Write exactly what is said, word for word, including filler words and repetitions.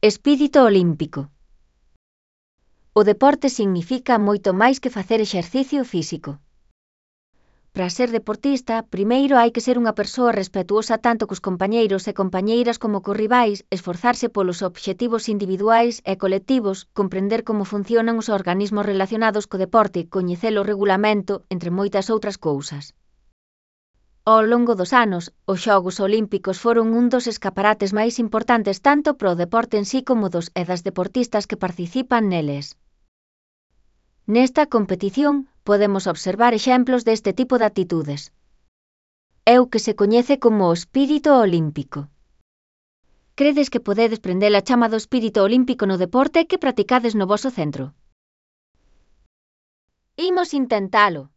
Espírito olímpico. O deporte significa moito máis que facer exercicio físico. Para ser deportista, primeiro hai que ser unha persoa respetuosa tanto cos compañeiros e compañeiras como cos rivais, esforzarse polos obxectivos individuais e colectivos, comprender como funcionan os organismos relacionados co deporte, coñecer o regulamento, entre moitas outras cousas. Ao longo dos anos, os Xogos Olímpicos foron un dos escaparates máis importantes tanto para o deporte en sí como dos e das deportistas que participan neles. Nesta competición, podemos observar exemplos deste tipo de actitudes. É o que se coñece como o espírito olímpico. Credes que podedes prender a chama do espírito olímpico no deporte que practicades no voso centro? Imos intentalo.